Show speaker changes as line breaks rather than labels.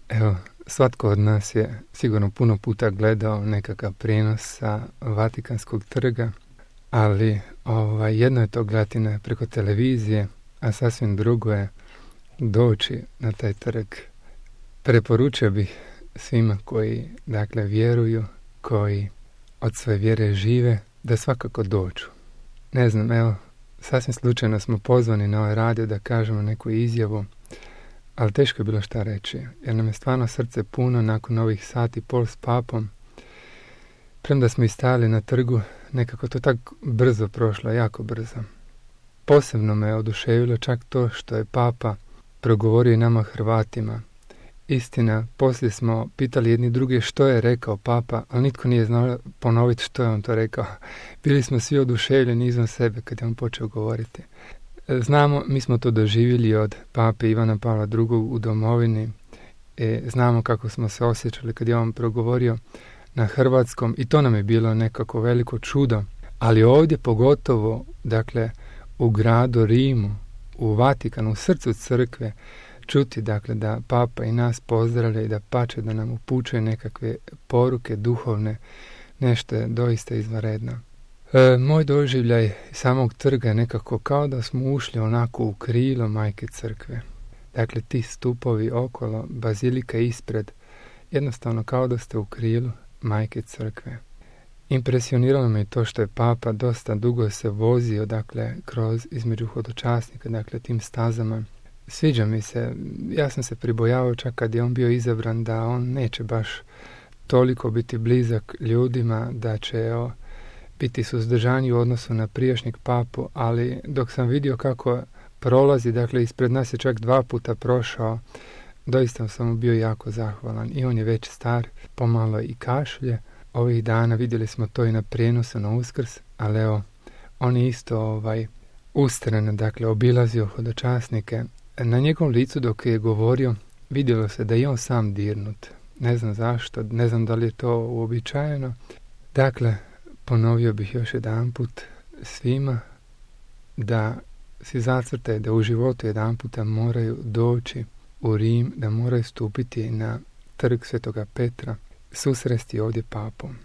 Evo, svatko od nas je sigurno puno puta gledao nekakav prijenos sa Vatikanskog trga, ali jedno je to gledati preko televizije, a sasvim drugo je doći na taj trg. Preporučio bih svima koji, vjeruju, koji od svoje vjere žive, da svakako dođu. Ne znam, evo, sasvim slučajno smo pozvani na ovaj radio da kažemo neku izjavu, ali teško je bilo šta reći, jer nam je stvarno srce puno nakon ovih sati pol s papom. Premda smo i stajali na trgu, nekako to tako brzo prošlo, jako brzo. Posebno me oduševilo čak to što je papa progovorio i nama Hrvatima. Istina, poslije smo pitali jedni druge što je rekao papa, ali nitko nije znao ponoviti što je on to rekao. Bili smo svi oduševljeni izvan sebe kad je on počeo govoriti. Znamo, mi smo to doživjeli od pape Ivana Pavla II. U domovini. Znamo kako smo se osjećali kad je on progovorio na hrvatskom i to nam je bilo nekako veliko čudo. Ali ovdje pogotovo, u gradu Rimu, u Vatikanu, u srcu crkve, čuti, da papa i nas pozdravlja i da pače da nam upućuje nekakve poruke duhovne, nešto je doista izvanredno. Moj doživljaj samog trga je nekako kao da smo ušli onako u krilo Majke Crkve. Dakle, ti stupovi okolo, bazilika ispred, jednostavno kao da ste u krilu Majke Crkve. Impresioniralo me to što je papa dosta dugo se vozio, kroz između hodočasnika, tim stazama. Sviđa mi se, ja sam se pribojavao čak kad je on bio izabran da on neće baš toliko biti blizak ljudima, da će biti suzdržani u odnosu na prijašnjeg papu, ali dok sam vidio kako prolazi, ispred nas je čak 2 puta prošao, doista sam mu bio jako zahvalan i on je već star, pomalo i kašlje. Ovih dana vidjeli smo to i na prijenosu na Uskrs, ali evo, on je isto ustrajno, obilazio hodočasnike. Na njegovom licu dok je govorio, vidjelo se da je on sam dirnut. Ne znam zašto, ne znam da li je to uobičajeno. Ponovio bih još jedanput svima da si zacrtaju da u životu jedanputa moraju doći u Rim, da moraju stupiti na trg Svetoga Petra, susresti ovdje papom.